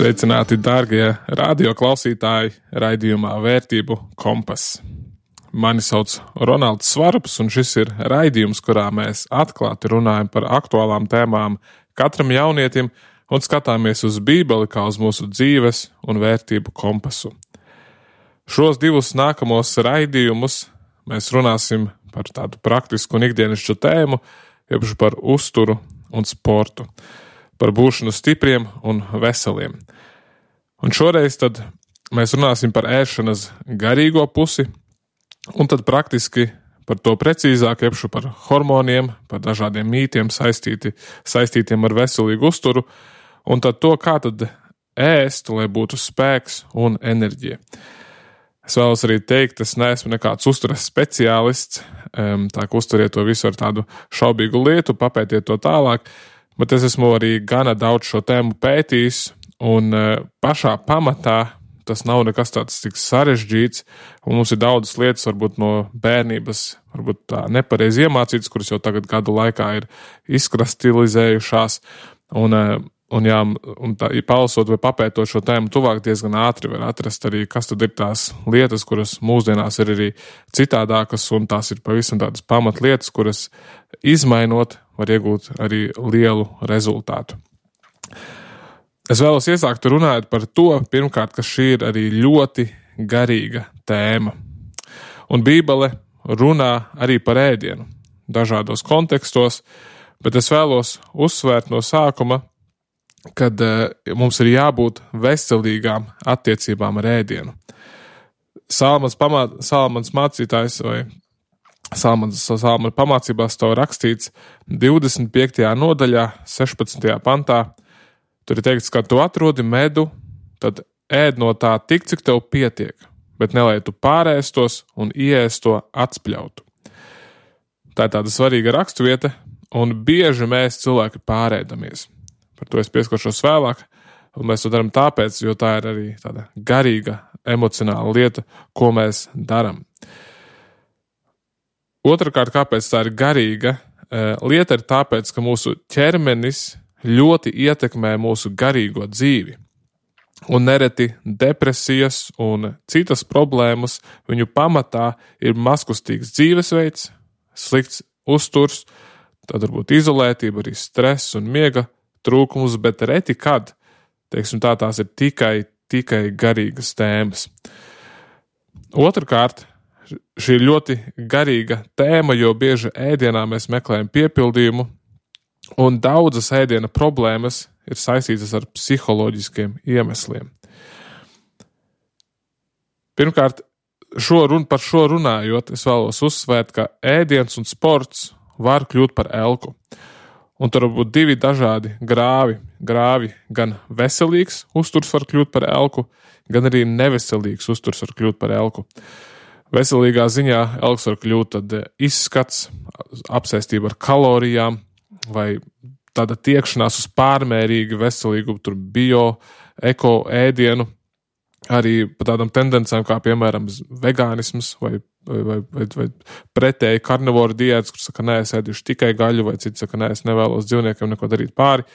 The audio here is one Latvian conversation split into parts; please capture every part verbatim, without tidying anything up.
Sveicināti, dārgie radioklausītāji, raidījumā Vērtību kompass. Mani sauc Ronalds Svarups, un šis ir raidījums, kurā mēs atklāti runājam par aktuālām tēmām katram jaunietim un skatāmies uz Bībeli kā uz mūsu dzīves un vērtību kompasu. Šos divus nākamos raidījumus mēs runāsim par tādu praktisku un ikdienišķu tēmu, jeb par uzturu un sportu, par būšanu stipriem un veseliem. Un šoreiz tad mēs runāsim par ēšanas garīgo pusi, un tad praktiski par to precīzāk, jeb par hormoniem, par dažādiem mītiem saistīti, saistītiem ar veselīgu uzturu, un tad to, kā tad ēst, lai būtu spēks un enerģija. Es vēlos arī teikt, es neesmu nekāds uzturas speciālists, tā ka uzturiet to visu ar tādu šaubīgu lietu, papētiet to tālāk, bet es esmu arī gana daudz šo tēmu pētījis, un pašā pamatā tas nav nekas tāds tik sarežģīts, un mums ir daudzas lietas, varbūt no bērnības, varbūt tā nepareizi iemācītas, kuras jau tagad gadu laikā ir izkristalizējušās, un, un, jā, un tā, ja palasot vai papētot šo tēmu tuvāk, diezgan ātri var atrast arī, kas tad ir tās lietas, kuras mūsdienās ir arī citādākas, un tās ir pavisam tādas pamatlietas, kuras izmainot var iegūt arī lielu rezultātu. Es vēlos iesākt runāt par to, pirmkārt, ka šī ir arī ļoti garīga tēma. Un Bībele runā arī par ēdienu dažādos kontekstos, bet es vēlos uzsvērt no sākuma, kad uh, mums ir jābūt veselīgām attiecībām ar ēdienu. Salmans, pamā, Salmans mācītājs vai Salmans, Salmana pamācībās to rakstīts divdesmit piektajā nodaļā, sešpadsmitajā pantā. Tur ir teikts, ka tu atrodi medu, tad ēd no tā tik, cik tev pietiek, bet nelai tu pārēstos un ieēst to atspļautu. Tā ir tāda svarīga raksturvieta, un bieži mēs cilvēki pārēdamies. Par to es pieskaršos vēlāk, un mēs to darām tāpēc, jo tā ir arī tāda garīga, emocionāla lieta, ko mēs darām. Otrakārt, kāpēc tā ir garīga lieta, ir tāpēc, ka mūsu ķermenis ļoti ietekmē mūsu garīgo dzīvi. Un nereti depresijas un citas problēmas viņu pamatā ir mazkustīgs dzīvesveids, slikts uzturs, tad varbūt izolētība, arī stress un miega trūkums, bet reti kad, teiksim tā, tās ir tikai, tikai garīgas tēmas. Otrkārt, šī ir ļoti garīga tēma, jo bieži ēdienā mēs meklējam piepildījumu, un daudzas ēdiena problēmas ir saistītas ar psiholoģiskiem iemesliem. Pirmkārt, šo run, par šo runājot, es vēlos uzsvērt, ka ēdiens un sports var kļūt par elku. Un tur var būt divi dažādi grāvi. Grāvi gan veselīgs uzturs var kļūt par elku, gan arī neveselīgs uzturs var kļūt par elku. Veselīgā ziņā elks var kļūt tad izskats, apsēstība ar kalorijām, vai tāda tiekšanās uz pārmērīgi veselīgu tur bio, eko ēdienu, arī par tādām tendencēm kā, piemēram, vegānisms vai, vai, vai, vai pretēji karnivoru diētas, kur saka, nē, es ēdīšu tikai gaļu, vai cits saka, nē, es nevēlos dzīvniekiem neko darīt pāri.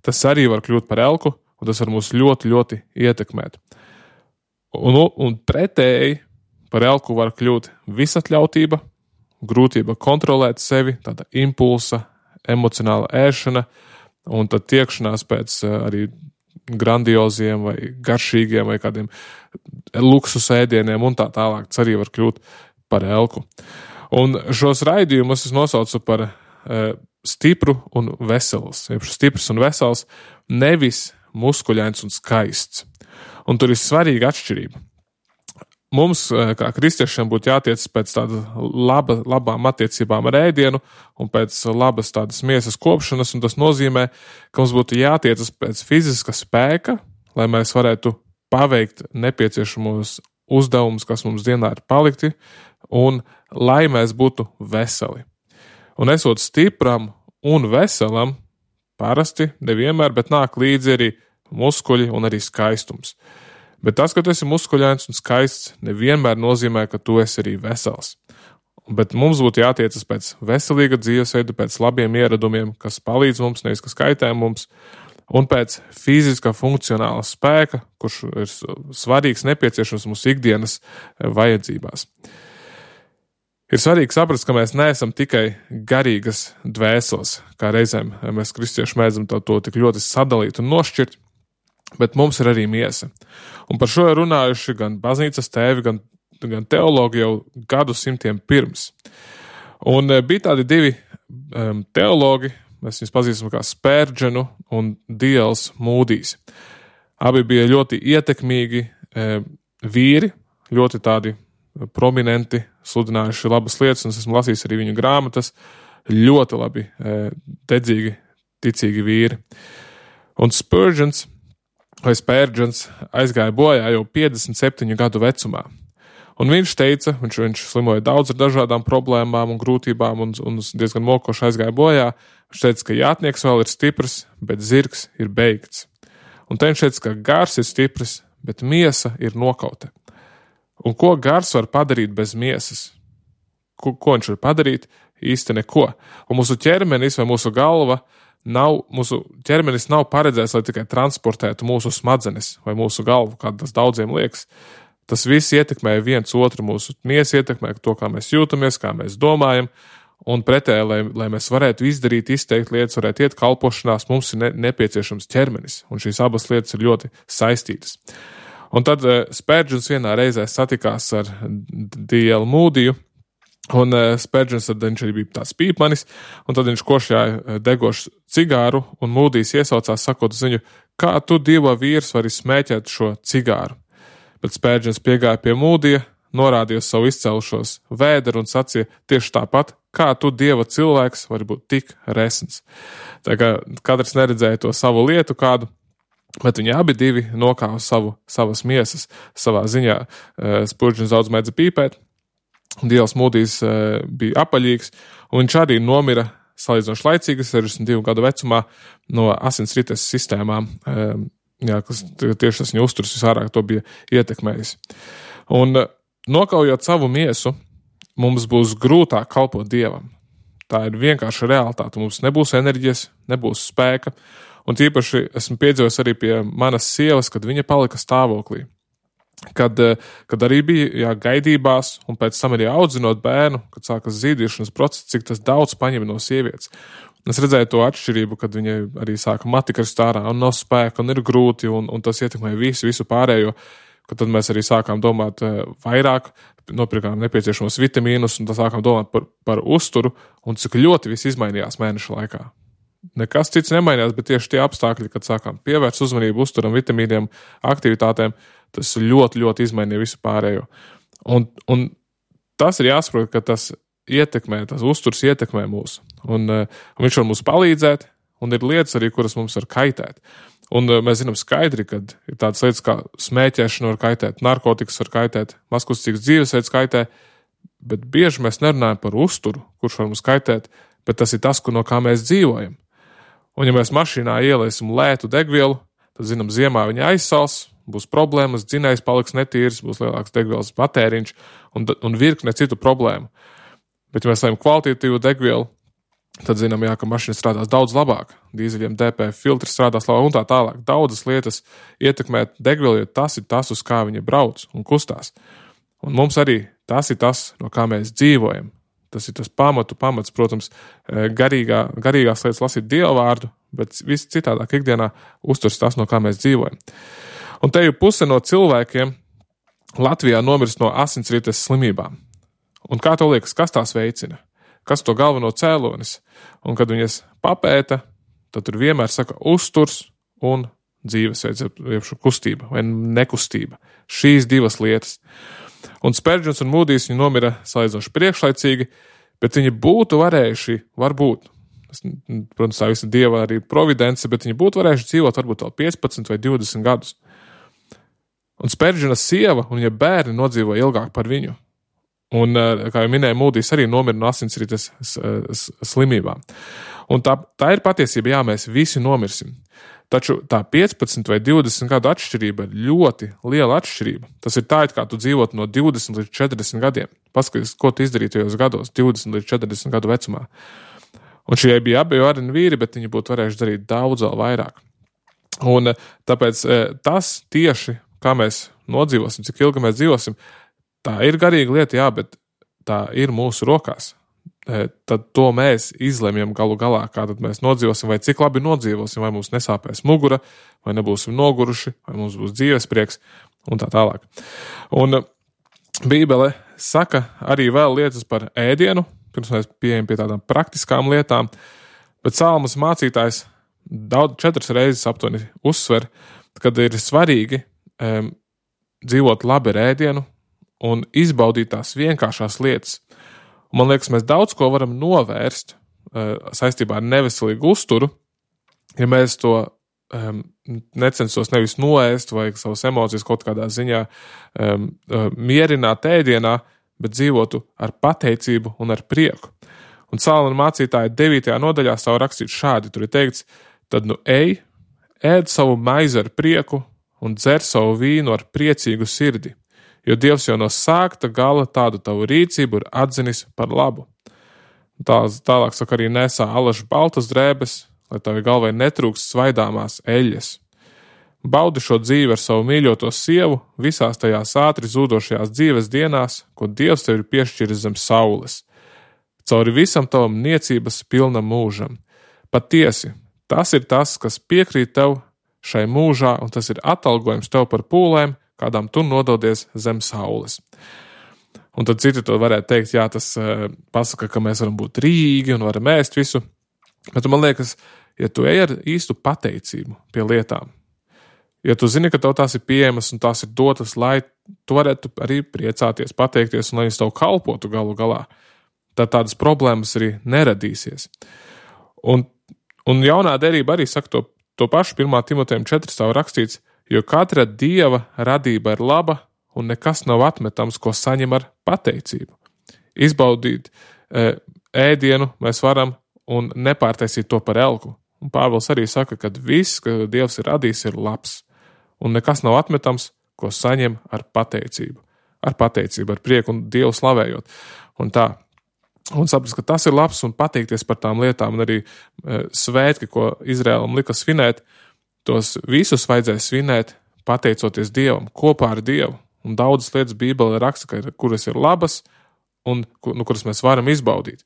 Tas arī var kļūt par elku, un tas var mūs ļoti, ļoti ietekmēt. Un, un pretēji par elku var kļūt visatļautība, grūtība kontrolēt sevi, tāda impulsa, emocionāla ēšana, un tad tiekšanās pēc arī grandioziem vai garšīgiem vai kādiem luksus ēdieniem un tā tālāk, tas arī var kļūt par elku. Un šos raidījumus es nosaucu par e, stipru un vesels. Stiprs un vesels, nevis muskuļains un skaists. Un tur ir svarīga atšķirība. Mums, kā kristiešiem, būtu jātiec pēc tāda laba, labām attiecībām ar ēdienu un pēc labas tādas miesas kopšanas, un tas nozīmē, ka mums būtu jātiecas pēc fiziska spēka, lai mēs varētu paveikt nepieciešamos uzdevumus, kas mums dienā ir palikti, un lai mēs būtu veseli. Un esot stipram un veselam, parasti nevienmēr, bet nāk līdzi arī muskuļi un arī skaistums. Bet tas, ka tu esi muskuļains un skaists, nevienmēr nozīmē, ka tu esi arī vesels. Bet mums būtu jātiecas pēc veselīga dzīvesveida, pēc labiem ieradumiem, kas palīdz mums, nevis kas kaitē mums. un pēc fiziskā funkcionāla spēka, kurš ir svarīgs, nepieciešams mūsu ikdienas vajadzībās. Ir svarīgi saprast, ka mēs neesam tikai garīgas dvēseles, kā reizēm mēs kristieši mēdzam to, to tik ļoti sadalīt un nošķirt, bet mums ir arī miesa. Un par šo ir runājuši gan baznīcas tēvi, gan, gan teologi jau gadu simtiem pirms. Un bija tādi divi um, teologi, mēs viņus pazīstam kā Spērģenu un D L Mūdijs. Abi bija ļoti ietekmīgi e, vīri, ļoti tādi prominenti, sludinājuši labas lietas, un es esmu lasījis arī viņu grāmatas, ļoti labi, e, dedzīgi, ticīgi vīri. Un Spurgeons, vai Spērģens, aizgāja bojā jau piecdesmit septiņu gadu vecumā. Un viņš teica, viņš, viņš slimoja daudz ar dažādām problēmām un grūtībām un, un diezgan mokoši aizgāja bojā. Viņš teica, ka jātnieks vēl ir stiprs, bet zirgs ir beigts. Un te viņš teica, ka gars ir stiprs, bet miesa ir nokauta. Un ko gars var padarīt bez miesas? Ko, ko viņš var padarīt? Īsti neko. Un mūsu ķermenis vai mūsu galva nav, mūsu ķermenis nav paredzēts, lai tikai transportētu mūsu smadzenes vai mūsu galvu, kā tas daudziem liekas. Tas viss ietekmē viens otru, mūsu miesa ietekmē to, kā mēs jūtamies, kā mēs domājam, un pretēji, lai, lai mēs varētu izdarīt, izteikt lietas, varētu iet kalpošanās, mums ir ne, nepieciešams ķermenis, un šīs abas lietas ir ļoti saistītas. Un tad uh, Spērģens vienā reizē satikās ar D L Mūdiju, un uh, Spērģens tad viņš arī bija tāds pīpmanis, un tad viņš košļāja degošu cigāru, un Mūdijs iesaucās, sakot uz viņu, kā tu dieva vīrs vari smēķēt šo cigāru. Bet Spērģens piegāja pie Mūdija, norādīja savu izcelušos vēderu un sacīja tieši tāpat, kā tu dieva cilvēks vari būt tik resns. Tā kā katrs neredzēja to savu lietu kādu, bet viņi abi divi nokāva savu, savas miesas savā ziņā. Spurgeons daudz mēdza pīpēt, D L Mūdijs bija apaļīgs, un viņš arī nomira salīdzinoši laicīgi, sešdesmit divu gadu vecumā, no asinsrites sistēmām, jā, kas tieši tas viņa uzturs visvairāk to bija ietekmējis. Un nokaujot savu miesu, mums būs grūtāk kalpot Dievam. Tā ir vienkārša realitāte. Mums nebūs enerģijas, nebūs spēka. Un tīpaši esmu piedzīvojis arī pie manas sievas, kad viņa palika stāvoklī. Kad, kad arī bija jā, gaidībās un pēc tam arī audzinot bērnu, kad sākas zīdīšanas process, cik tas daudz paņem no sievietes. Es redzēju to atšķirību, kad viņai arī sāka matikrist ārā un nav spēka un ir grūti un, un tas ietekmē visu, visu pārējo, kad tad mēs arī sākām domāt vairāk, nopirkām nepieciešamos vitamīnus un tad sākām domāt par, par uzturu un cik ļoti viss izmainījās mēneša laikā. Nekas cits nemainījās, bet tieši tie apstākļi, kad sākām pievērst uzmanību uzturam, vitamīniem, aktivitātēm, tas ļoti, ļoti izmainīja visu pārējo. Un, un tas ir jāsaprot, ka tas ietekmē, tas uzturs ietekmē mūs. Un, un viņš var mums palīdzēt, un ir lietas arī, kuras mums var kaitēt. Un mēs zinām skaidri, ka ir tādas lietas kā smēķēšana var kaitēt, narkotikas var kaitēt, mazkustīgs dzīvesveids kaitē, bet bieži mēs nerunājam par uzturu, kurš var mums kaitēt, bet tas ir tas, no kā mēs dzīvojam. Un ja mēs mašīnā ieliesim lētu degvielu, tad zinām, ziemā viņa aizsals, būs problēmas, dzinējs paliks netīrs, būs lielāks degvielas patēriņš un, un virkne citu problēmu. Bet, ja mēs lējam kvalitatīvu degvielu, tad zinām, jā, ka mašīna strādās daudz labāk. Dīzeļiem D P F filtri strādās labāk un tā tālāk. Daudzas lietas ietekmē degvielu, jo tas ir tas, uz kā viņa brauc un kustās. Un mums arī tas ir tas, no kā mēs dzīvojam. Tas ir tas pamatu pamats, protams, garīgā, garīgās lietas lasīt Dievu vārdu, bet viss citādāk ikdienā uzturs tas, no kā mēs dzīvojam. Un te jau puse no cilvēkiem Latvijā nomirst no asinsrites slimībām. Un kā tev liekas, kas tās veicina? Kas to galveno cēlonis? Un kad viņas papēta, tad tur vienmēr saka uzturs un dzīvesveids, jeb kustība vai nekustība. Šīs divas lietas. Un Spērģens un Mūdijs viņi nomira salīdzinoši priekšlaicīgi, bet viņi būtu varējuši, varbūt, protams, tā visa Dieva arī providence, bet viņi būtu varējuši dzīvot varbūt vēl piecpadsmit vai divdesmit gadus. Un Spērģena sieva un viņa bērni nodzīvoja ilgāk par viņu. Un, kā jau minēju, Mūdijs arī nomira no asinsrites slimībām. Un tā, tā ir patiesība, jā, mēs visi nomirsim. Taču tā piecpadsmit vai divdesmit gadu atšķirība ir ļoti liela atšķirība. Tas ir tā, it kā tu dzīvotu no divdesmit līdz četrdesmit gadiem. Paskaties, ko tu izdarīji tajos gados, divdesmit līdz četrdesmit gadu vecumā. Un šie bija abi vareni vīri, bet viņi būtu varējuši darīt daudz vēl vairāk. Un tāpēc tas tieši, kā mēs nodzīvosim, cik ilgi mēs dzīvosim, tā ir garīga lieta, jā, bet tā ir mūsu rokās. Tad to mēs izlemjam galu galā, kā tad mēs nodzīvosim, vai cik labi nodzīvosim, vai mums nesāpēs mugura, vai nebūsim noguruši, vai mums būs dzīves prieks, un tā tālāk. Un Bībele saka arī vēl lietas par ēdienu, pirms mēs pieejam pie tādām praktiskām lietām, bet Salmas mācītājs daudz četras reizes aptuveni uzsver, kad ir svarīgi um, dzīvot labi ar ēdienu un izbaudīt tās vienkāršās lietas. Un man liekas, mēs daudz ko varam novērst uh, saistībā ar neveselīgu uzturu, ja mēs to um, necenstos nevis noēst vai savas emocijas kaut kādā ziņā um, uh, mierināt ēdienā, bet dzīvotu ar pateicību un ar prieku. Un Salmana mācītāja devītajā nodaļā savu rakstīt šādi, tur ir teikts, tad nu ej, ēd savu maizi ar prieku un dzer savu vīnu ar priecīgu sirdi, jo Dievs jau no sākta gala tādu tavu rīcību ir atzinis par labu. Tā, tālāk saka arī nesā alažu baltas drēbes, lai tavi galvai netrūkst svaidāmās eļļas. Baudi šo dzīvi ar savu mīļoto sievu visās tajās ātri zūdošajās dzīves dienās, ko Dievs tev ir piešķiris zem saules. Cauri visam tavam niecības pilnam mūžam. Patiesi, tas ir tas, kas piekrīt tev šai mūžā, un tas ir atalgojums tev par pūlēm, kādām tu nododies zem saules. Un tad citi to varētu teikt, jā, tas uh, pasaka, ka mēs varam būt rīgi un varam ēst visu. Bet man liekas, ja tu ej ar īstu pateicību pie lietām, ja tu zini, ka tev tās ir pieejamas un tās ir dotas, lai tu varētu arī priecāties, pateikties un lai viņas tev kalpotu galu galā, tad tādas problēmas arī neradīsies. Un, un jaunā derība arī saka to, to pašu pirmā Timotejam četri stāv rakstīts, jo katra Dieva radība ir laba un nekas nav atmetams, ko saņem ar pateicību. Izbaudīt e, ēdienu mēs varam un nepārtaisīt to par elku. Un Pāvils arī saka, ka viss, ka Dievs ir radījis, ir labs. Un nekas nav atmetams, ko saņem ar pateicību. Ar pateicību, ar prieku un Dievu slavējot. Un tā. Un saprast, ka tas ir labs un pateikties par tām lietām. Un arī e, svētki, ko Izraēlam lika svinēt, tos visus vajadzēja svinēt, pateicoties Dievam, kopā ar Dievu. Un daudzas lietas Bībele raksta, ka ir, kuras ir labas un nu, kuras mēs varam izbaudīt.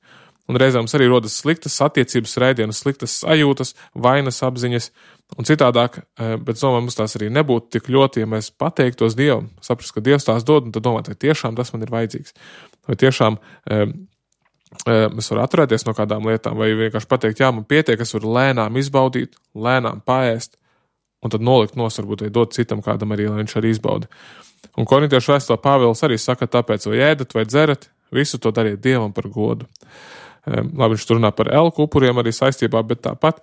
Un reizēm arī rodas sliktas attiecības rēdienas, sliktas sajūtas, vainas apziņas un citādāk, bet domāju, mums tās arī nebūtu tik ļoti, ja mēs pateiktos Dievam, saprast, ka Dievs tās dod, un tad domāt, vai tiešām tas man ir vajadzīgs. Vai tiešām e, e, mēs varam atturēties no kādām lietām, vai vienkārši pateikt, jā, man pietiek, es varu lēnām izbaudīt, lēnām paēst, un tad nolikt nos, varbūt, vai dot citam kādam arī, lai viņš arī izbauda. Un Korintiešu vēstulē Pāvils arī saka, tāpēc vai ēdat vai dzerat, visu to dariet Dievam par godu. Um, labi, viņš tur runā par elku upuriem arī saistībā, bet tāpat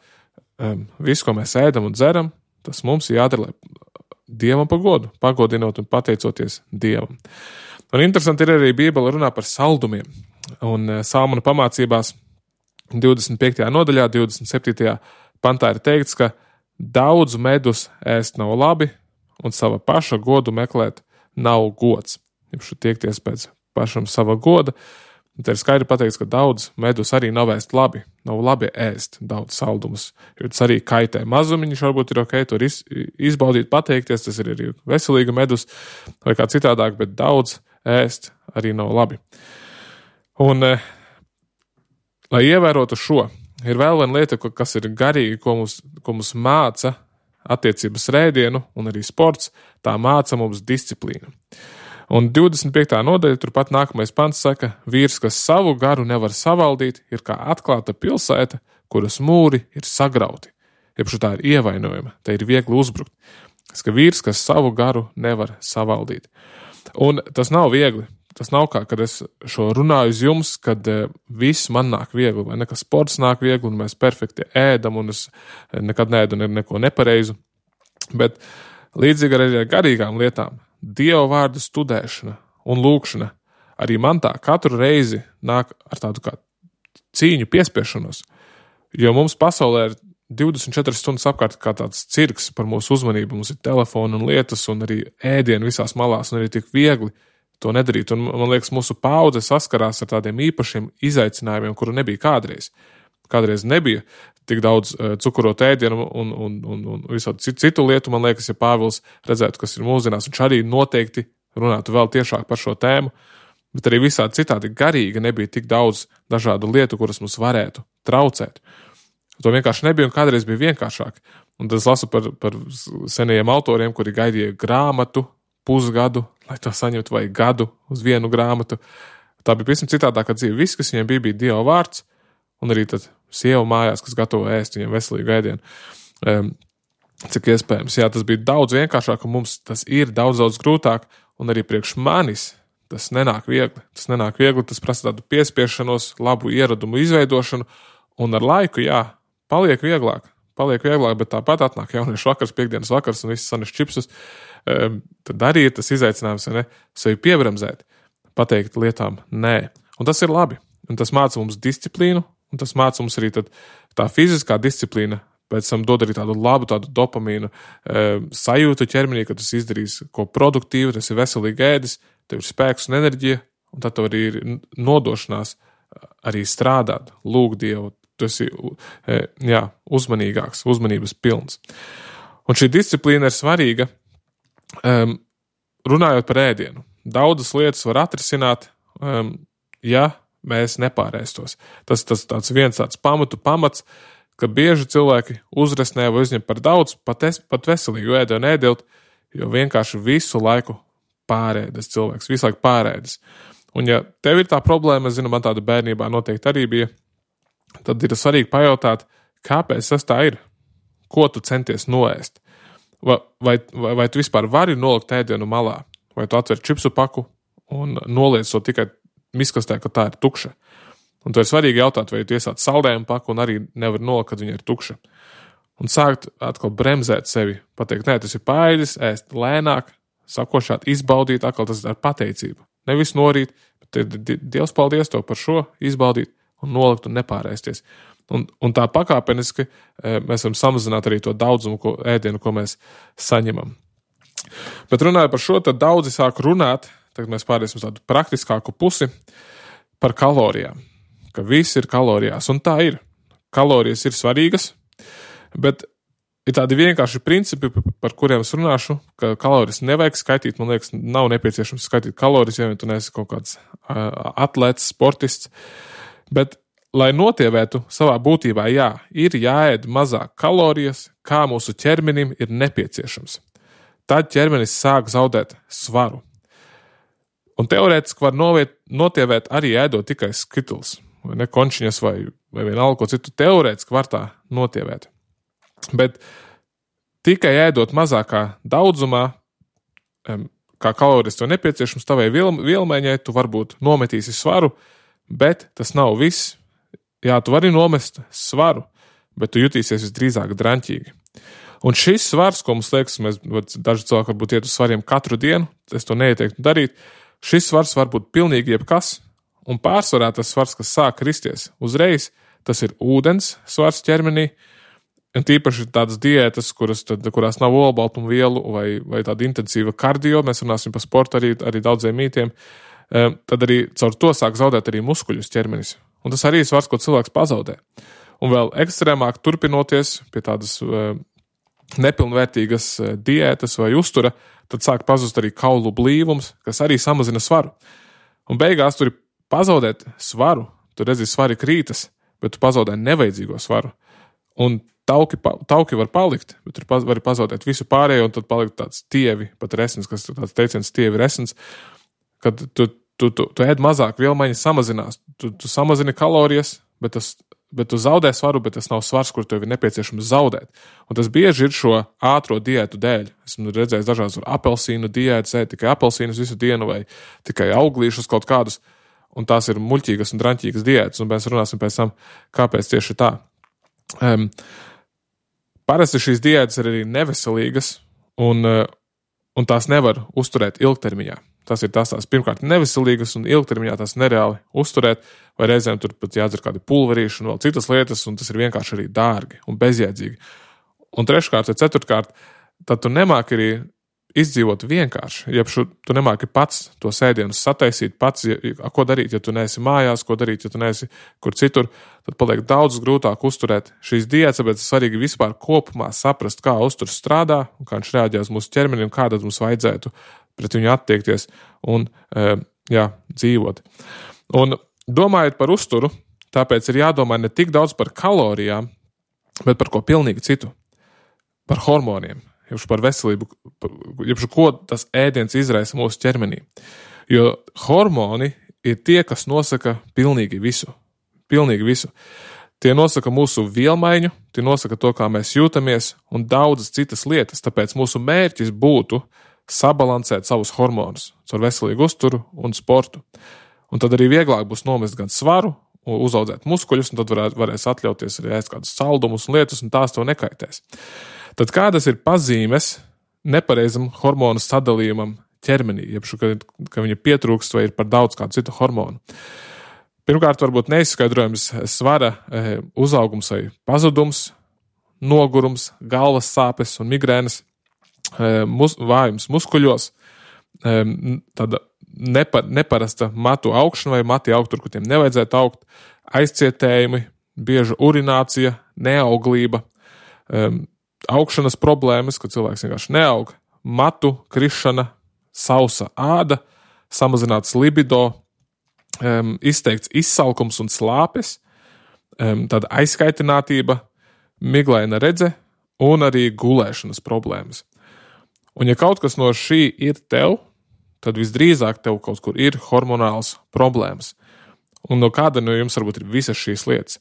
um, visu, ko mēs ēdam un dzeram, tas mums ir jādara, lai Dievam par godu, pagodinot un pateicoties Dievam. Un interesanti ir arī Bībele runā par saldumiem. Un uh, Salmana pamācībās divdesmit piektajā nodaļā, divdesmit septītajā pantā ir teikts, ka daudz medus ēst nav labi un sava paša godu meklēt nav gods. Jums tiekties pēc pašam sava goda. Te ir skaidri pateikts, ka daudz medus arī nav ēst labi. Nav labi ēst daudz saldumus, jo tas arī kaitē mazumiņš, varbūt ir ok, tur iz, izbaudīt, pateikties, tas ir arī veselīga medus vai kā citādāk, bet daudz ēst arī nav labi. Un, eh, lai ievērotu šo, ir vēl viena lieta, kas ir garīga, ko mums, ko mums māca attiecības rēdienu un arī sports, tā māca mums disciplīnu. Un divdesmit piektā nodaļa, turpat nākamais pants saka, vīrs, kas savu garu nevar savaldīt, ir kā atklāta pilsēta, kuras mūri ir sagrauti. Iepšu tā ir ievainojama, te ir viegli uzbrukt. Tas, ka vīrs, kas savu garu nevar savaldīt. Un tas nav viegli. Tas nav kā, kad es šo runāju uz jums, kad e, viss man nāk viegli, vai ne, ka sports nāk viegli, un mēs perfekti ēdam, un es nekad neēdu neko nepareizu. Bet līdzīgi arī ar garīgām lietām, Dieva vārdu studēšana un lūkšana arī man tā katru reizi nāk ar tādu kā cīņu piespiešanos, jo mums pasaulē ir divdesmit četras stundas apkārt kā tāds cirks par mūsu uzmanību, mums ir telefoni un lietas un arī ēdieni visās malās un arī tik viegli to nedarīt. Un man liekas, mūsu paudze saskarās ar tādiem īpašiem izaicinājumiem, kuru nebija kādreiz, kādreiz nebija tik daudz uh, cukurot ēdienu un, un, un, un visādi citu, citu lietu, man liekas, ja Pāvils redzētu, kas ir mūsdienās, viņš arī noteikti runātu vēl tiešāk par šo tēmu, bet arī visādi citādi garīgi nebija tik daudz dažādu lietu, kuras mums varētu traucēt. To vienkārši nebija un kādreiz bija vienkāršāk. Un tad es lasu par, par senajiem autoriem, kuri gaidīja grāmatu, pusgadu, lai to saņemtu, vai gadu uz vienu grāmatu. Tā bija pavisam citādākā dzīve. Viss, kas viņiem bija, bija Dieva vārds, un arī tad sieva mājās, kas gatavo ēst viņiem veselīgu ēdienu. Um, cik iespējams. Jā, tas bija daudz vienkāršāk, un mums tas ir daudz, daudz grūtāk, un arī priekš manis tas nenāk viegli. Tas nenāk viegli, tas prasa tādu piespiešanos, labu ieradumu izveidošanu, un ar laiku, jā, paliek vieglāk. Paliek vieglāk, bet tāpat atnāk jauniešu vakars, piekdienas vakars un viss sanes čipsus. Um, tad arī ir tas izaicinājums, ne, sevi piebremzēt, pateikt lietām nē. Un tas ir labi. Un tas māca mums disciplīnu, un tas māca mums arī tad tā fiziskā disciplīna, pēc tam dod arī tādu labu, tādu dopamīnu um, sajūtu ķermenī, ka tas izdarīs ko produktīvu, tas ir veselīgi ēdis, tev ir spēks un enerģija, un tad tev arī ir nodošanās arī strādāt, lūgt Dievu. Tu esi jā, uzmanīgāks, uzmanības pilns. Un šī disciplīna ir svarīga, um, runājot par ēdienu. Daudzas lietas var atrisināt, um, ja mēs nepārēstos. Tas tas tāds viens tāds pamatu pamats, ka bieži cilvēki uzresnē vai uzņem par daudz, pat, es, pat veselīgu ēdienu ēdilt, jo vienkārši visu laiku pārēdas cilvēks, visu laiku pārēdas. Un ja tev ir tā problēma, es zinu, man tāda bērnībā noteikti arī bija, tad ir svarīgi pajautāt, kāpēc tas tā ir, ko tu centies noēst. Vai, vai, vai, vai tu vispār vari nolikt ēdienu malā, vai tu atver čipsu paku un noliec to tikai miskastē, ka tā ir tukša. Un to ir svarīgi jautāt, vai tu iesāc saldējumu paku un arī nevar nolikt, kad viņa ir tukša. Un sākt atkal bremzēt sevi, pateikt, nē, tas ir paēdis, ēst lēnāk, sakošāt, izbaudīt, atkal tas ir ar pateicību. Nevis norīt, bet Dievs paldies tev par šo, izbaudīt, un nolikt un nepārēsties. Un, un tā pakāpeniski mēs varam samazināt arī to daudzumu ko, ēdienu, ko mēs saņemam. Bet runājot par šo, tad daudzi sāk runāt, tagad mēs pārēsim tādu praktiskāku pusi, par kalorijām. Ka viss ir kalorijās, un tā ir. Kalorijas ir svarīgas, bet ir tādi vienkārši principi, par kuriem es runāšu, ka kalorijas nevajag skaitīt, man liekas, nav nepieciešams skaitīt kalorijas, ja tu neesi kaut kāds atlēts, sportists. Bet, lai notievētu savā būtībā, jā, ir jāēd mazāk kalorijas, kā mūsu ķermenim ir nepieciešams. Tad ķermenis sāk zaudēt svaru. Un teorētiski var noviet, notievēt arī ēdot tikai skituls, vai ne končiņas, vai, vai vienalga ko citu. Teorētiski var tā notievēt. Bet tikai ēdot mazākā daudzumā, kā kalorijas tev nepieciešams, tavai vielmaiņai, tu varbūt nometīsi svaru, bet tas nav viss. Jā, tu vari nomest svaru, bet tu jutīsies visdrīzāk draņķīgi. Un šis svars, ko mums liekas, mēs daži cilvēki varbūt iet uz svariem katru dienu, es to neieteiktu darīt, šis svars var būt pilnīgi jebkas, un pārsvarā tas svars, kas sāk kristies uzreiz, tas ir ūdens svars ķermenī, un tīpaši tādas diētas, kuras, tad, kurās nav olbaltumu vielu vai, vai tāda intensīva kardio, mēs runāsim par sportu arī, arī daudziem mītiem, tad arī caur to sāk zaudēt arī muskuļus ķermenis. Un tas arī ir svars, ko cilvēks pazaudē. Un vēl ekstrēmāk turpinoties pie tādas nepilnvērtīgas diētas vai uztura, tad sāk pazust arī kaulu blīvums, kas arī samazina svaru. Un beigās tur ir pazaudēt svaru, tu redzi, svari krītas, bet tu pazaudē nevajadzīgo svaru. Un tauki, tauki var palikt, bet tur var pazaudēt visu pārējo, un tad palikt tāds tievi, pat resns, kas tāds teiciens tievi resns, kad tu, tu, tu, tu ēd mazāk, vielmaiņa samazinās, tu, tu samazini kalorijas, bet, tas, bet tu zaudē svaru, bet tas nav svars, kur tev ir nepieciešams zaudēt. Un tas bieži ir šo ātro diētu dēļ. Esmu redzējis dažādas apelsīnu diētas, ēd tikai apelsīnus visu dienu vai tikai auglīšus kaut kādus, un tās ir muļķīgas un draņķīgas diētas, un mēs runāsim pēc tam, kāpēc tieši tā. Um, parasti šīs diētas ir arī neveselīgas, un, un tās nevar uzturēt ilgtermiņā. Tas ir tās tās pirmkārt neveselīgas un ilgtermiņā tās nereāli uzturēt, vai reizēm tur pat jādzer kādi pulverīši un vēl citas lietas, un tas ir vienkārši arī dārgi un bezjēdzīgi. Un treškārt vai ceturtkārt, tad tu nemāki arī izdzīvot vienkārši, ja šu, tu nemāki pats to sēdienu sataisīt, pats, ja, ko darīt, ja tu neesi mājās, ko darīt, ja tu neesi kur citur, tad paliek daudz grūtāk uzturēt šīs diētas, bet svarīgi vispār kopumā saprast, kā uzturs strādā, un kā viņš reaģē uz mūsu ķermeni, un kā tad mums vajadzētu pret viņu attiekties un, jā, dzīvot. Un domājot par uzturu, tāpēc ir jādomā ne tik daudz par kalorijām, bet par ko pilnīgi citu, par hormoniem. Jebšu par veselību, jebšu ko tas ēdiens izraisa mūsu ķermenī. Jo hormoni ir tie, kas nosaka pilnīgi visu. Pilnīgi visu. Tie nosaka mūsu vielmaiņu, tie nosaka to, kā mēs jūtamies un daudzas citas lietas. Tāpēc mūsu mērķis būtu sabalansēt savus hormonus caur veselīgu uzturu un sportu. Un tad arī vieglāk būs nomest gan svaru, uzaudzēt muskuļus, un tad varē, varēs atļauties arī ēst kādus saldumus un lietas, un tās tev nekaitēs. Tad kādas ir pazīmes nepareizam hormonu sadalījumam ķermenī, jebšu, ka, ka viņa pietrūkst vai ir par daudz kādu citu hormonu? Pirmkārt, varbūt neizskaidrojams svara uzaugums vai pazudums, nogurums, galvas sāpes un migrēnas, mus, vājums muskuļos, tāda nepa, neparasta matu augšana vai mati augt tur, kur tiem nevajadzētu augt, aizcietējumi, bieža urinācija, neauglība, augšanas problēmas, kad cilvēks vienkārši neaug, matu krišana, sausa āda, samazināts libido, um, izteikts izsalkums un slāpes, um, tāda aizskaitinātība, miglaina redze un arī gulēšanas problēmas. Un ja kaut kas no šī ir tev, tad visdrīzāk tev kaut kur ir hormonāls problēmas. Un no kāda no jums varbūt ir visas šīs lietas.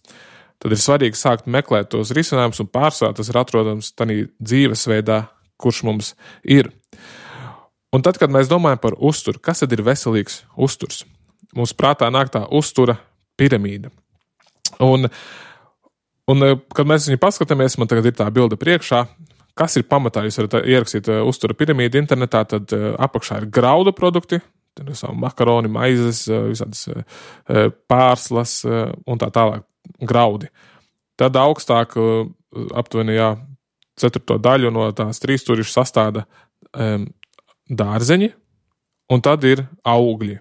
Tad ir svarīgi sākt meklēt tos risinājumus un pārsvarā tas ir atrodams tādā dzīvesveidā, kurš mums ir. Un tad, kad mēs domājam par uzturu, kas tad ir veselīgs uzturs? Mums prātā nāk tā uztura piramīda. Un, un kad mēs viņu paskatāmies, man tagad ir tā bilde priekšā, kas ir pamatā, jūs varat ierakstīt uztura piramīdu internetā, tad apakšā ir graudu produkti, tad ir savu makaroni, maizes, visādas pārslas un tā tālāk. Graudi. Tad augstāk aptuveni jā, ceturto daļu no tās trīsstūrišas sastāda um, dārzeņi, un tad ir augļi.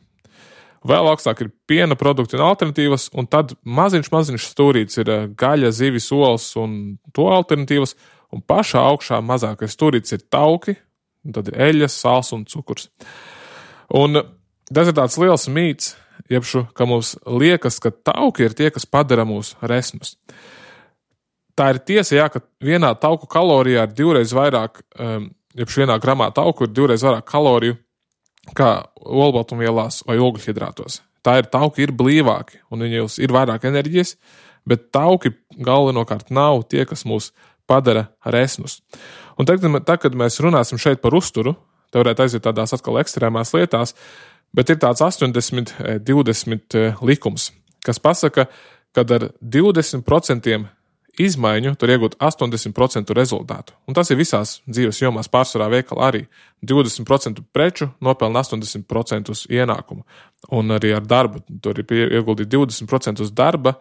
Vēl augstāk ir piena produkti un alternatīvas, un tad maziņš, maziņš stūrīts ir gaļa, zivis, olas un to alternatīvas, un pašā augšā mazākais stūrīts ir tauki, un tad ir eļas, sāls un cukurs. Un tas ir tāds liels mīts, jebšu, ka mums liekas, ka tauki ir tie, kas padara mūs resnus. Tā ir tiesa, jā, ka vienā tauku kalorijā ir divreiz vairāk, jebšu vienā gramā tauku ir divreiz vairāk kaloriju kā olbaltumvielās vai ogļhidrātos. Tā ir tauki ir blīvāki un viņos ir vairāk enerģijas, bet tauki galvenokārt nav tie, kas mūs padara resnus. Un tagad, kad mēs runāsim šeit par uzturu, te varētu aiziet tādās atkal ekstrēmās lietās, bet ir tāds astoņdesmit divdesmit likums, kas pasaka, ka ar divdesmit procentiem izmaiņu tur iegūt astoņdesmit procentu rezultātu. Un tas ir visās dzīves jomās, pārsvarā veikala arī. divdesmit procentu preču nopelna astoņdesmit procentus ienākumu. Un arī ar darbu tur ir ieguldīt divdesmit procentus darba,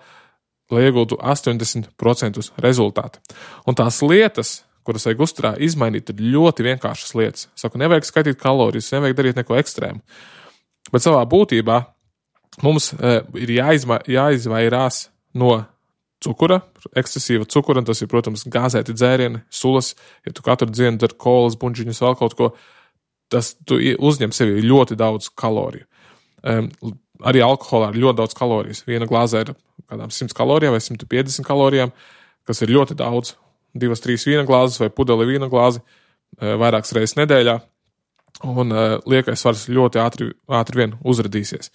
lai iegūtu astoņdesmit procentus rezultātu. Un tās lietas, kuras vajag uzturā izmainīt, ir ļoti vienkāršas lietas. Saku, nevajag skaitīt kalorijas, nevajag darīt neko ekstrēmu. Bet savā būtībā mums e, ir jāizma, jāizvairās no cukura, ekscesīva cukura, un tas ir, protams, gāzēti dzērieni, sulas, ja tu katru dienu dar kolas, buņģiņus, vēl kaut ko, tas tu uzņem sevi ļoti daudz kaloriju. E, arī alkoholā ir ļoti daudz kalorijas. Viena glāzē ir kādām simt kalorijām vai simt piecdesmit kalorijām, kas ir ļoti daudz. Divas, trīs vīna glāzes vai pudeli vīna glāzi e, vairākas reizes nedēļā. Un uh, liekais svars ļoti ātri, ātri vien uzradīsies.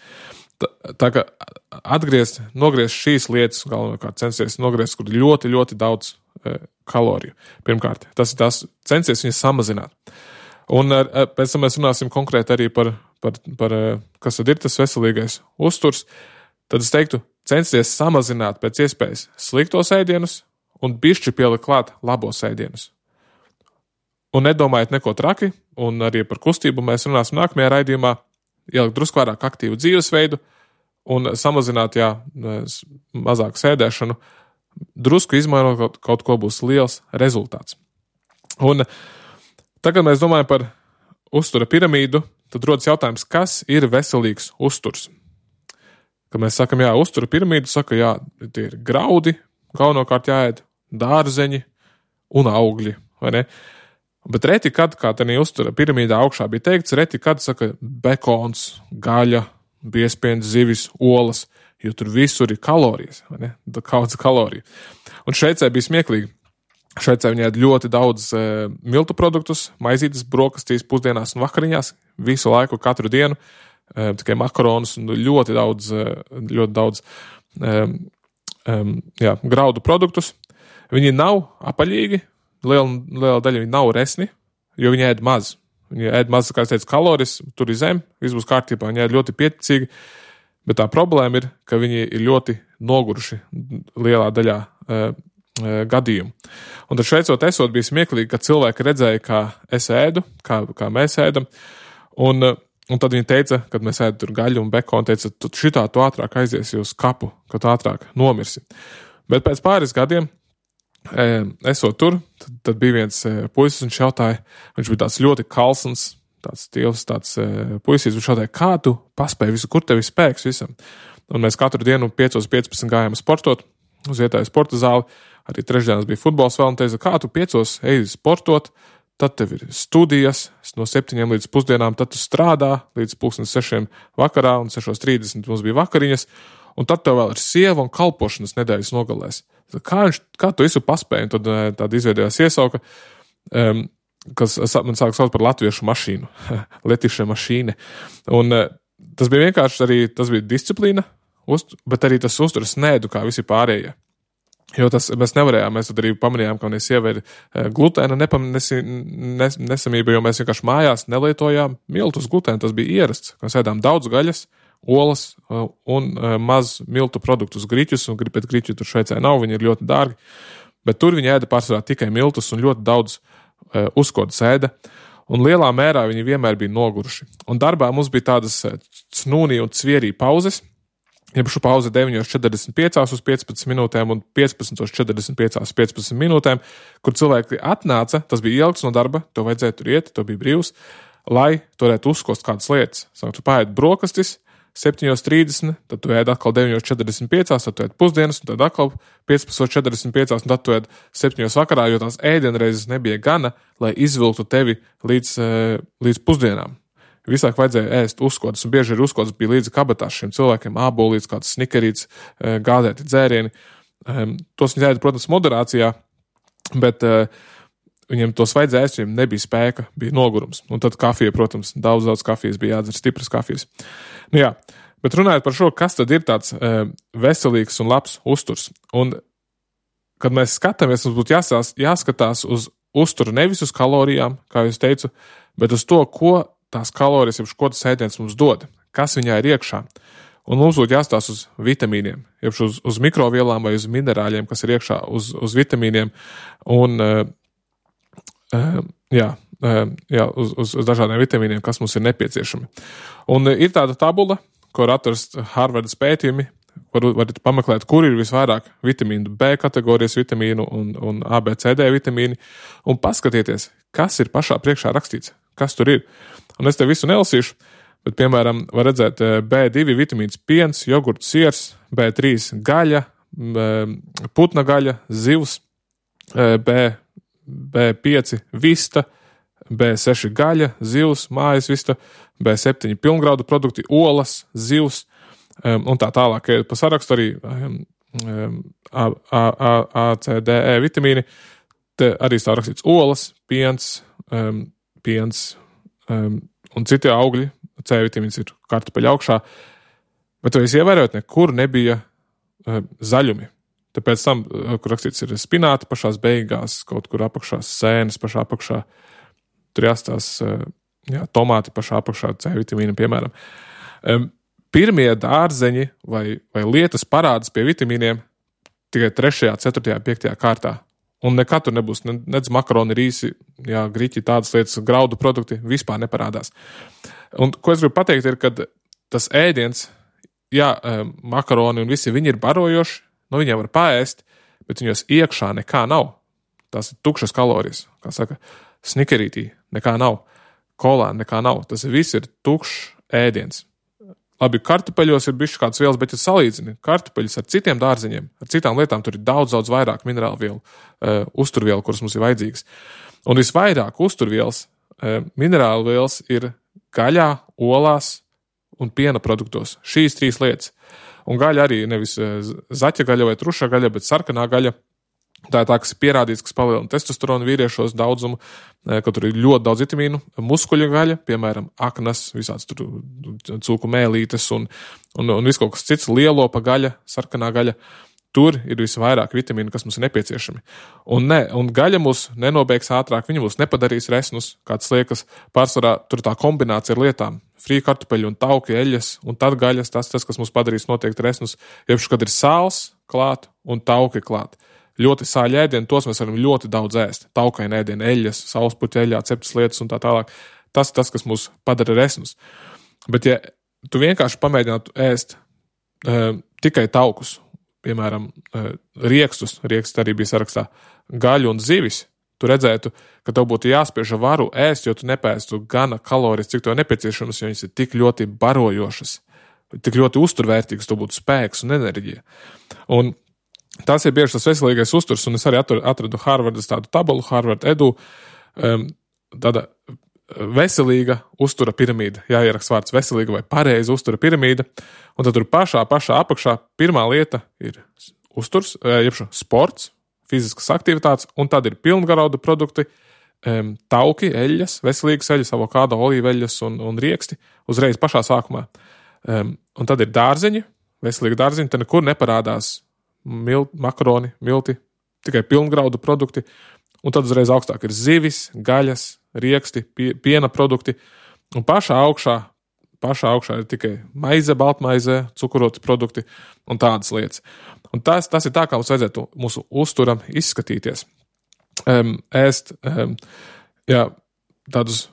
Tā, tā kā atgriezt, nogriezt šīs lietas, galvenokārt censties nogriezt, kur ļoti, ļoti daudz uh, kaloriju. Pirmkārt, tas ir tas censies viņas samazināt. Un uh, pēc tam mēs runāsim konkrēti arī par, par, par uh, kas tad ir tas veselīgais uzturs. Tad es teiktu, censties samazināt pēc iespējas sliktos ēdienus un bišķi pielikt klāt labos ēdienus. Un nedomājiet neko traki, un arī par kustību mēs runāsim nākamajā raidījumā, ielikt drusku vairāk aktīvu dzīvesveidu un samazināt, jā, mazāk sēdēšanu, drusku izmainot kaut, kaut ko būs liels rezultāts. Un tagad mēs domājam par uztura piramīdu, tad rodas jautājums, kas ir veselīgs uzturs. Kad mēs sakam, jā, uztura piramīdu, saka, jā, tie ir graudi, galvenokārt jāēd, dārzeņi un augļi, vai ne? Bet reti, kad, kā tādā uztura piramīdā augšā bija teikts, reti, kad saka bekons, gaļa, biezpiens, zivis, olas, jo tur visur ir kalorijas, vai ne? Daudz kaloriju. Un Šveicē bija smieklīgi. Šveicē viņi ēd ļoti daudz e, miltu produktus, maizītes, brokastīs, pusdienās un vakariņās, visu laiku, katru dienu, e, tikai makaronus un ļoti daudz, e, ļoti daudz e, e, jā, graudu produktus. Viņi nav apaļīgi, liela, liela daļa viņi nav resni, jo viņi ēd maz. Viņi ēd maz, kā es teicu, kalorijas, tur ir zem, viss būs kārtībā, viņi ēd ļoti pieticīgi, bet tā problēma ir, ka viņi ir ļoti noguruši lielā daļā e, gadījumu. Un tad šveicot esot bija smieklīgi, ka cilvēki redzēja, kā es ēdu, kā, kā mēs ēdam, un, un tad viņi teica, kad mēs ēdu tur gaļu un bekonu, teica, tu šitā tu ātrāk aiziesi uz kapu, ka tu ātrāk nomirsi. Bet pēc pāris gadiem, esot tur, tad, tad bija viens puisis, viņš jautāja, viņš bija tāds ļoti kalsns, tāds stīvs, tāds puisīs, viņš jautāja, kā tu paspēji visu, kur tev ir spēks visam? Un mēs katru dienu piecos piecpadsmit gājām sportot uz vietēju sporta zāli. Arī trešdienas bija futbols vēl un teica, kā tu piecos eji sportot, tad tev ir studijas no septiņiem līdz pusdienām, tad tu strādā līdz pulksten sešiem vakarā un sešos trīsdesmit mums bija vakariņas, un tad tev vēl ir sieva un kalpošanas nedēļas nogalēs. Kā, viņš, kā tu visu paspēji? Un tad tāda izveidojās iesauka, um, kas man sāk saukt par latviešu mašīnu, letiša mašīne. Un uh, tas bija vienkārši arī, tas bija disciplīna, Uzt, bet arī tas uzturas nēdu, kā visi pārējie. Jo tas mēs nevarējām, mēs tad arī pamanījām, ka manai sievai ir glutēna nesamība, jo mēs vienkārši mājās nelietojām miltus glutēnu, tas bija ierasts. Mēs ēdām daudz gaļas, olas un maz miltu produktus, griķus, un pēc griķu tur Šveicē nav, viņi ir ļoti dārgi, bet tur viņi ēda pārsvarā tikai miltus un ļoti daudz uzkodas ēda. Un lielā mērā viņi vienmēr bija noguruši. Un darbā mums bija tādas snūnī un cvierī pauzes, Jebšu pauze deviņos četrdesmit piecās uz piecpadsmit minūtēm un piecpadsmit četrdesmit piecās uz piecpadsmit minūtēm, kur cilvēki atnāca, tas bija ilgs no darba, to vajadzēja tur iet, to bija brīvs, lai tu varētu uzkost kādas lietas. Sāk, tu paēd brokastis septiņos trīsdesmit, tad tu ēd atkal deviņos četrdesmit piecās, tad tu ēd pusdienas, un tad atkal piecpadsmit četrdesmit piecās, un tad tu ēd septiņos vakarā, jo tās ēdienreizes nebija gana, lai izvilktu tevi līdz, līdz pusdienām. Visāk vajadzēja ēst uzkodas, un bieži ir uzkodas bija līdzi kabatās šiem cilvēkiem, ābolīts, kāds snikerīts, gādēti dzērieni. Tos viņi ēda, protams, moderācijā, bet viņiem tos vajadzēja ēst, viņiem nebija spēka, bija nogurums. Un tad kafija, protams, daudz, daudz kafijas bija jādzer, stipras kafijas. Nu jā, bet runājot par šo, kas tad ir tāds veselīgs un labs uzturs. Un, kad mēs skatāmies, mums būtu jāsās, jāskatās uz uzturu nevis uz kalorijām, kā jūs teicu, bet uz to, ko tās kalorijas, jeb ko tas ēdiens mums dod, kas viņā ir iekšā. Un mums būtu jāstās uz vitamīniem, jeb uz, uz mikrovielām vai uz minerāļiem, kas ir iekšā, uz, uz vitamīniem un uh, uh, jā, uh, jā, uz, uz, uz dažādiem vitamīniem, kas mums ir nepieciešami. Un uh, ir tāda tabula, ko var atrast Harvardas pētījumi, var, varat pameklēt, kur ir visvairāk vitamīnu B kategorijas vitamīnu un, un A, B, C, D vitamīni, un paskatieties, kas ir pašā priekšā rakstīts, kas tur ir. Un es te visu nelasīšu, bet, piemēram, var redzēt B divi vitamīns piens, jogurts, siers, B trīs gaļa, putna gaļa, zivs, B, B pieci vista, B seši gaļa, zivs, mājas vista, B septiņi pilngraudu produkti, olas, zivs, un tā tālāk pa sarakstu arī A, A, A, A, C, D, E vitamīni. Te arī tā rakstīts olas, piens, piens, Um, un citi augļi, C vitamīns ir kartupeļa augšā, bet to es ievērot, nekur nebija uh, zaļumi. Tāpēc tam, uh, kur rakstīts ir spināti pašās beigās, kaut kur apakšā sēnes pašā apakšā, tur jāstās uh, jā, tomāti pašā apakšā, C vitamīna, piemēram. Um, pirmie dārzeņi vai, vai lietas parādas pie vitamīniem tikai trešajā, ceturtajā, piektajā kārtā. Un nekad tur nebūs, nedz makaroni, rīsi, jā, griķi, tādas lietas, graudu produkti vispār neparādās. Un ko es gribu pateikt ir, kad tas ēdiens, jā, makaroni un visi viņi ir barojoši, no viņiem var paēst, bet viņos iekšā nekā nav. Tās ir tukšas kalorijas, kā saka, snikerītī, nekā nav. kolāni, nekā nav. Tas viss ir tukšs ēdiens. Labi, kartupeļos ir bišķi kāds vielas, bet ja salīdzini kartupeļus ar citiem dārziņiem, ar citām lietām, tur ir daudz, daudz vairāk minerālu vielu, uh, uzturvielu, kuras mums ir vajadzīgas. Un visvairāk uzturvielas, uh, minerālu vielas ir gaļā, olās un piena produktos. Šīs trīs lietas. Un gaļa arī nevis uh, zaķa gaļa vai truša gaļa, bet sarkanā gaļa. Tā ir tā, kas ir pierādīts, kas palielina testosteronu vīriešos daudzumu, ka tur ir ļoti daudz vitamīnu, muskuļu gaļa, piemēram, aknas, visāds tur cūku mēlītes un, un, un viss kaut kas cits, lielopa gaļa, sarkanā gaļa. Tur ir visvairāk vitamīnu, kas mums ir nepieciešami. Un, ne, un gaļa mūs nenobeigs ātrāk, viņa mūs nepadarīs resnus, kāds liekas, pārsvarā tur tā kombinācija ar lietām. Frī kartupeļu un tauki, eļas, un tad gaļas, tas, tas kas mums padarīs noteikti resnus, jebš, kad ir sāls klāt un tauki klāt. Ļoti sāļi ēdieni, tos mēs varam ļoti daudz ēst. Taukaini ēdieni, eļas, saulespuķa eļā, ceptas lietas un tā tālāk. Tas ir tas, kas mūs padara resnus. Bet ja tu vienkārši pamēģinātu ēst uh, tikai taukus, piemēram, uh, riekstus, rieksts arī bija sarakstā, gaļu un zivis, tu redzētu, ka tev būtu jāspiež varu ēst, jo tu nepēstu gana kalorijas, cik tev nepieciešams, jo viņas ir tik ļoti barojošas, tik ļoti uzturvērtīgas, tev būtu spēks un enerģija. Un tas ir bieži tas veselīgais uzturs, un es arī atradu Harvardas tādu tabulu, Harvard Edu, um, tāda veselīga uztura piramīda, jāieraksta vārds veselīga vai pareiza uztura piramīda, un tad tur pašā, pašā apakšā pirmā lieta ir uzturs, jebšu sports, fiziskas aktivitātes, un tad ir pilngarauda produkti, um, tauki, eļas, veselīgas eļas, avokādo, olīveļas un, un rieksti uzreiz pašā sākumā. Um, un tad ir dārziņi, veselīgi dārziņi, te nekur neparādās Mil, makaroni, milti, tikai pilngraudu produkti, un tad uzreiz augstāk ir zivis, gaļas, rieksti, pie, piena produkti, un pašā augšā, pašā augšā ir tikai maize, baltmaize, cukuroti produkti un tādas lietas. Un tas, tas ir tā, kā mums vajadzētu mūsu uzturam izskatīties. Um, ēst um, jā, tādus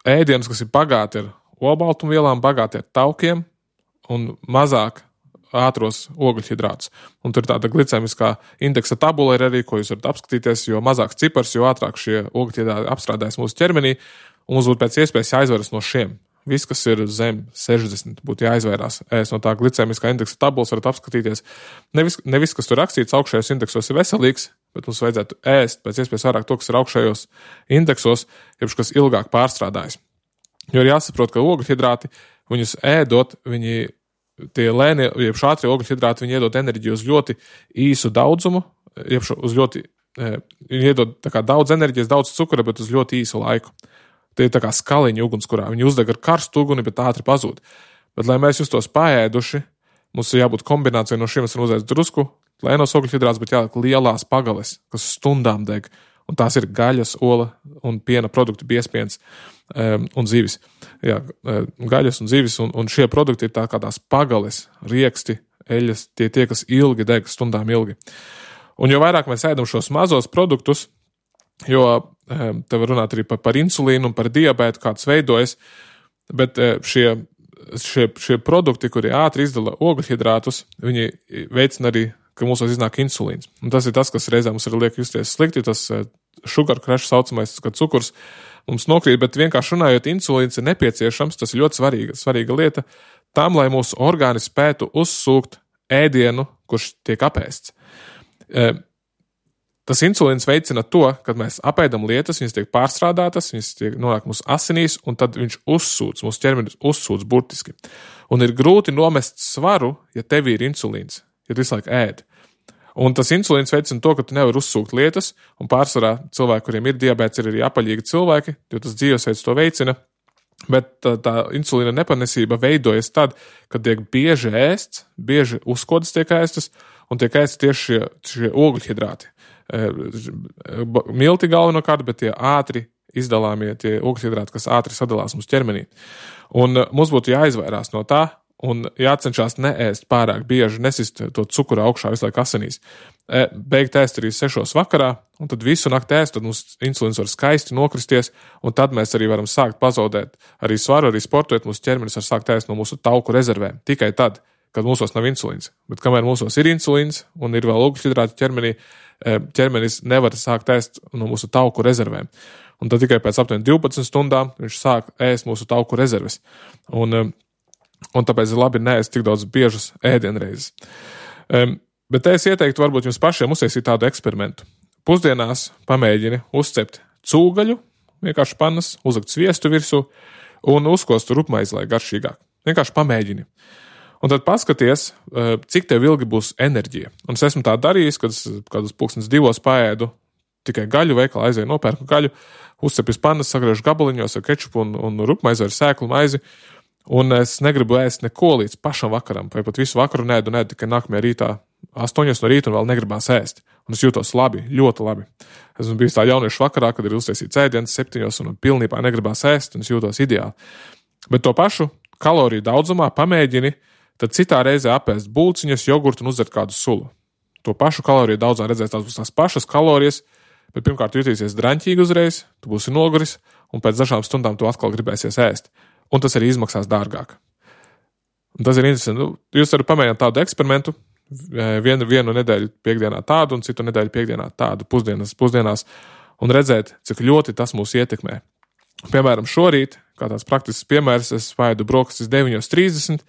ēdienus, kas ir bagāti ar olbaltumvielām, bagāti ar taukiem un mazāk ātros ogļhidrātus. Un tur tāda glicēmiskā indeksa tabula ir arī, ko jūs varat apskatīties, jo mazāks cipars, jo ātrāk šie ogļhidrāti apstrādājas mūsu ķermenī, un mums būtu pēc iespējas jāizvaras no šiem. Viss, kas ir zem sešdesmit, būtu jāizvairās ēst no tā glicēmiskā indeksa tabulas, varat apskatīties. Nevis, nevis kas tur rakstīts augšējos indeksos ir veselīgs, bet mums vajadzētu ēst pēc iespējas vairāk to, kas ir augšējos indeksos, jebš kas ilgāk pārstrādājas. Jo ir jāsaprot, ka ogļhidrāti, viņus ēdot, viņi tie lēnie, jeb ātrie ogļhidrāti, viņi iedod enerģiju uz ļoti īsu daudzumu, jeb uz ļoti, viņi iedod tā kā daudz enerģijas, daudz cukura, bet uz ļoti īsu laiku. Tie ir tā kā skaliņi ugunskurā. Viņi uzdeg ar karstu uguni, bet ātri pazūd. Bet, lai mēs justos paēduši, mums ir jābūt kombinācijai no šiem, mēs varam uzēst drusku, lēnos ogļhidrātus, bet jāliek lielās pagales, kas stundām deg. Un tās ir gaļas, ola un piena produkti, biezpiens um, un zivis. Jā, gaļas un zivis, un, un šie produkti ir tā kā tās pagales, rieksti, eļas, tie tie, kas ilgi deg, stundām ilgi. Un jo vairāk mēs ēdam šos mazos produktus, jo um, te var runāt arī par, par insulīnu un par diabētu, kāds veidojas, bet uh, šie, šie, šie produkti, kuri ātri izdala ogļhidrātus, viņi veicina arī, ka mūsos iznāk insulīns. Un tas ir tas, kas reizē mums ir liek justies slikti, tas sugar crash saucamais, kad cukurs mums nokrīt, bet vienkārši runājot, insulīns ir nepieciešams, tas ir ļoti svarīga, svarīga lieta, tam, lai mūsu orgāni spētu uzsūkt ēdienu, kurš tiek apēsts. Tas insulīns veicina to, kad mēs apēdam lietas, viņas tiek pārstrādātas, viņas tiek nonāk mūsu asinīs, un tad viņš uzsūc, mūsu ķermenis uzsūc burtiski. Un ir grūti nomest svaru, ja tev ir insulīns. Ja tu visu laiku ēd. Un tas insulīns veicina to, ka tu nevari uzsūkt lietas, un pārsvarā cilvēki, kuriem ir diabēts, ir arī apaļīgi cilvēki, jo tas dzīvesveids to veicina, bet tā, tā insulīna nepanesība veidojas tad, kad tiek bieži ēsts, bieži uzkodas tiek ēstas, un tiek ēsts tieši šie, šie ogļhidrāti. Milti galvenokārt, bet tie ātri izdalāmie, tie ogļhidrāti, kas ātri sadalās mums ķermenī. Un mums būtu jāizvairās no tā, un jācenšās neēst pārāk bieži, nesist to cukuru augšā visu laiku asinīs. Beigt ēst arī sešos vakarā, un tad visu nakti ēst, tad mums insulīns var skaisti nokristies, un tad mēs arī varam sākt pazaudēt arī svaru, arī sportojot, mūsu ķermenis var sākt ēst no mūsu tauku rezervēm. Tikai tad, kad mūsos nav insulīns. Bet kamēr mūsos ir insulīns un ir vēl ogļhidrāti ķermenī, ķermenis nevar sākt ēst no mūsu tauku rezervēm. Un tad tikai pēc aptuveni divpadsmit stundām viņš sāk ēst mūsu tauku rezerves. Un, un tāpēc ir labi neēst tik daudz biežas ēdienreizes. Um, bet es ieteiktu varbūt jums pašiem uztaisīt tādu eksperimentu. Pusdienās pamēģini uzcept cūgaļu, vienkārši pannas, uzlikt sviestu virsū un uzkost rupmaizi, lai garšīgāk. Vienkārši pamēģini. Un tad paskaties, cik tev ilgi būs enerģija. Un es esmu tā darījis, kad es kādus pulkstens divos paēdu tikai gaļu veikalā, aizēju nopērku gaļu, uzcepju pannas, sagriežu gabaliņos ar kečupu un, un rupmaizi ar sēklu maizi. Un es negribu ēst neko līdz pašam vakaram, vai pat visu vakaru nēdu, nēdu tikai nākamajā rītā, astoņos no rīta un vēl negribās ēst. Un es jūtos labi, ļoti labi. Esmu bijis tā jauniešu vakarā, kad ir uztaisīts ēdiens septiņos un pilnībā negribās ēst, un es jūtos ideāli. Bet to pašu kaloriju daudzumā pamēģini, tad citā reizē apēst bulciņas, jogurtu un uzdzert kādu sulu. To pašu kaloriju daudzā redzēs, tās būs tās pašas kalorijas, bet pirmkārt jutīsies draņķīgi uzreiz, tu būsi noguris, un pēc dažām stundām tu atkal gribēsies ēst. Un tas arī izmaksās dārgāk. Un tas ir interesanti. Nu, jūs varat pamēģināt tādu eksperimentu, vienu, vienu nedēļu piekdienā tādu un citu nedēļu piekdienā tādu pusdienas, pusdienās, un redzēt, cik ļoti tas mūs ietekmē. Piemēram, šorīt, kā tāds praktisks piemērs, es spēju brokastis deviņos trīsdesmit,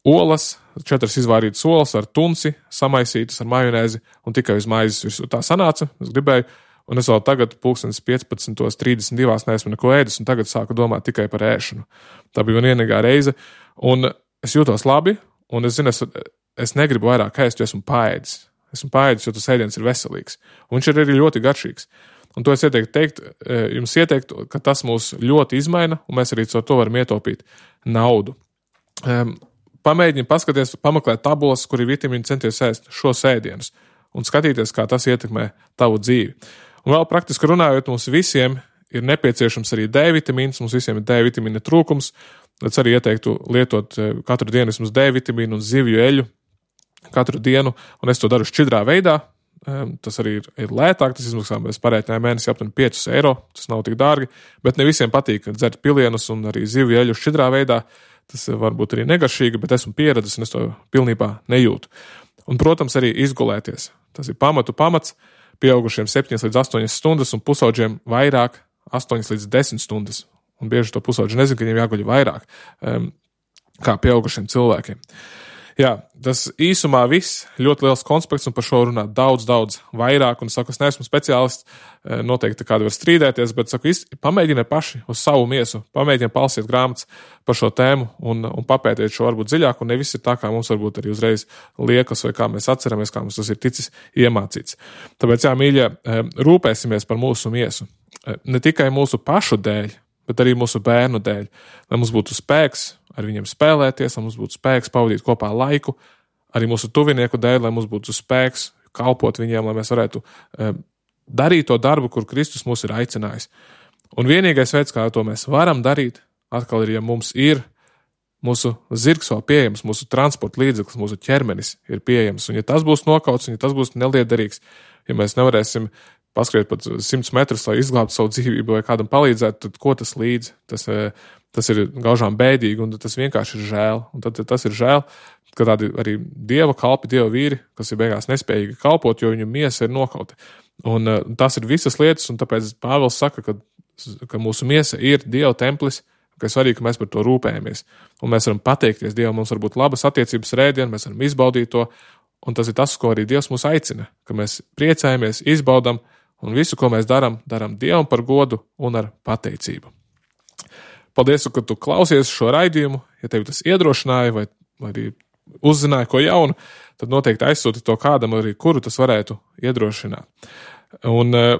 olas, četras izvārītas olas ar tunci, samaisītas ar majonēzi un tikai uz maizes virsū. Tā sanāca, es gribēju, un es vēl tagad pulkstens piecpadsmit trīsdesmit divi neesmu neko ēdis, un tagad sāku domāt tikai par ēšanu. Tā bija man vienīgā reize, un es jūtos labi, un es zinu, es, es negribu vairāk ēst, jo esmu paēdis. Esmu paēdis, jo tas ēdiens ir veselīgs, un viņš ir arī ļoti garšīgs. Un to es ieteiktu teikt, jums ieteiktu, ka tas mūs ļoti izmaina, un mēs arī ar to varam ietaupīt naudu. Pamēģini paskaties, pameklēt tabulas, kur ir vitamīni, centies ēst šos ēdienus un skatīties, kā tas ietekmē tavu dzīvi. Un vēl praktiski runājot, mums visiem ir nepieciešams arī D vitamīns, mums visiem ir D vitamīna trūkums, tad arī ieteiktu lietot katru dienu vismaz D vitamīnu un zivju eļu katru dienu, un es to daru šķidrā veidā. Tas arī ir, ir lētāk, tas izmaksā mēs parēķinājām mēnesi aptuveni piecus eiro, tas nav tik dārgi, bet ne visiem patīk dzert pilienus un arī zivju eļu šķidrā veidā. Tas varbūt arī negašīgi, bet esmu pieredzis un es to pilnībā nejūtu. Un, protams, arī izgulēties. Tas ir pamatu pamats, pieaugušiem septiņas līdz astoņas stundas un pusauģiem vairāk astoņas līdz desmit stundas. Un bieži to pusauģi nezinu, ka viņiem jāguļ vairāk um, kā pieaugušiem cilvēkiem. Jā, tas īsumā viss, ļoti liels konspekts un par šo runāt daudz, daudz vairāk. Un saku, es neesmu speciālists, noteikti kādi var strīdēties, bet saku, pamēģiniet paši uz savu miesu, pamēģiniet palsiet grāmatas par šo tēmu un, un papētiet šo varbūt dziļāk, un nevis ir tā, kā mums varbūt arī uzreiz liekas, vai kā mēs atceramies, kā mums tas ir ticis iemācīts. Tāpēc, jā, mīļie, rūpēsimies par mūsu miesu. Ne tikai mūsu pašu dēļ, bet arī mūsu bērnu dēļ, lai mums būtu spēks ar viņiem spēlēties, lai mums būtu spēks pavadīt kopā laiku, arī mūsu tuvinieku dēļ, lai mums būtu spēks kalpot viņiem, lai mēs varētu e, darīt to darbu, kur Kristus mūs ir aicinājis. Un vienīgais veids, kā to mēs varam darīt, atkal ir, ja mums ir mūsu zirgs vēl pieejams, mūsu transporta līdzeklis, mūsu ķermenis ir pieejams, un ja tas būs nokauts, un ja tas būs neliederīgs, ja mēs nevarēsim paskriet pat simts metrus, lai izglābtu savu dzīvību vai kādam palīdzētu, tad ko tas līdz? Tas, tas ir gaužām bēdīgi, un tas vienkārši ir žēl. Un tad tas ir žēl, ka tādi arī dieva kalpi, dieva vīri, kas ir beigās nespējīgi kalpot, jo viņu miesa ir nokauta. Un tas ir visas lietas, un tāpēc Pāvils saka, ka, ka mūsu miesa ir dieva templis, ka ir svarīgi, ka mēs par to rūpējamies. Un mēs varam pateikties Dievam, mums var būt labas attiecības rēdien, mēs varam izbaudīt to, un tas ir tas, ko arī Dievs mūs aicina, ka mēs priecājamies, izbaudam, un visu, ko mēs darām, darām Dievam par godu un ar pateicību. Paldies, ka tu klausies šo raidījumu. Ja tevi tas iedrošināja vai, vai arī uzzināja ko jaunu, tad noteikti aizsūti to kādam, arī kuru tas varētu iedrošināt. Un uh,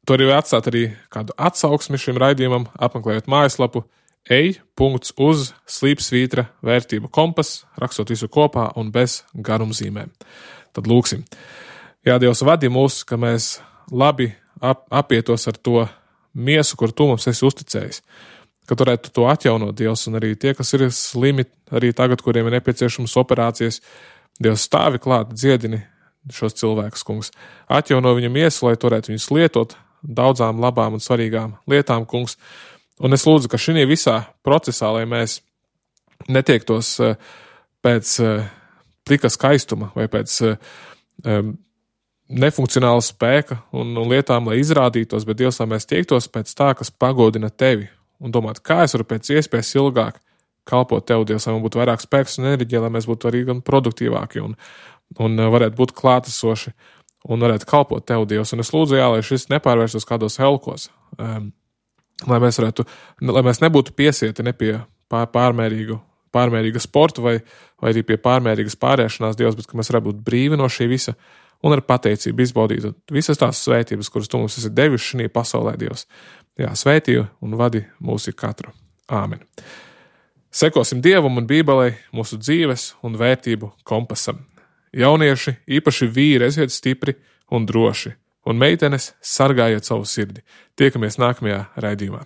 tu arī atstāt arī kādu atsauksmi šim raidījumam, apmeklējot mājaslapu ej punkts uz slīpsvītra vērtību kompas, rakstot visu kopā un bez garumzīmēm. Tad lūksim. Jā, Dievs, vadi mūs, ka mēs labi ap, apietos ar to miesu, kur tu mums esi uzticējis. Ka varētu to atjaunot, Dievs, un arī tie, kas ir slimi, arī tagad, kuriem ir nepieciešamas operācijas, Dievs, stāvi klāt, dziedini šos cilvēkus, kungs. Atjauno viņam miesu, lai varētu viņus lietot daudzām labām un svarīgām lietām, kungs. Un es lūdzu, ka šī visā procesā, lai mēs netiektos pēc plika skaistuma vai pēc nefunkcionāla spēka un, un lietām, lai izrādītos, bet Dievs, lai mēs tiektos pēc tā, kas pagodina tevi un domāt, kā es varu pēc iespējas ilgāk kalpot tev, Dievs, lai man būtu vairāk spēks un enerģija, lai mēs būtu arī gan produktīvāki un, un varētu būt klātesoši un varētu kalpot tev, Dievs. Un es lūdzu, jā, lai šis nepārvērstos kādos helkos, um, lai mēs varētu, lai mēs nebūtu piesieti ne pie pār, pārmērīgu, pārmērīga sporta vai, vai arī pie pārmērīgas pārēšanās, Dievs, bet ka mēs varētu būt brīvi no šī visa un ar pateicību izbaudīt visas tās svētības, kuras tu mums esi devis šajā pasaulē, Dievs. Jā, svētī un vadi mūsu katru. Āmen. Sekosim Dievam un Bībelei mūsu dzīves un vērtību kompasam. Jaunieši, īpaši vīri, esiet stipri un droši, un meitenes sargājiet savu sirdi. Tiekamies nākamajā raidījumā.